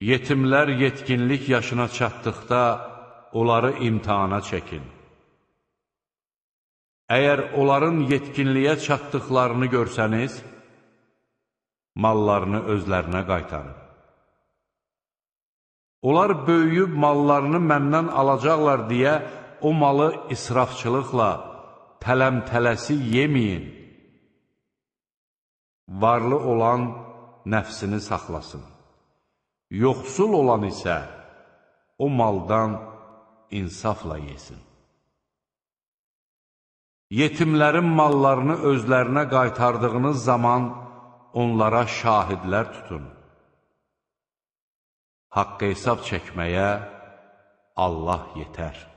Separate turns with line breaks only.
Yetimlər yetkinlik yaşına çatdıqda onları imtihana çəkin. Əgər onların yetkinliyə çatdıqlarını görsəniz, mallarını özlərinə qaytarın. Onlar böyüyüb mallarını məndən alacaqlar deyə o malı israfçılıqla, tələm-tələsi yeməyin. Varlı olan nəfsini saxlasın. Yoxsul olan isə o maldan insafla yesin. Yetimlərin mallarını özlərinə qaytardığınız zaman onlara şahidlər tutun. Haqq hesab çəkməyə Allah yetər.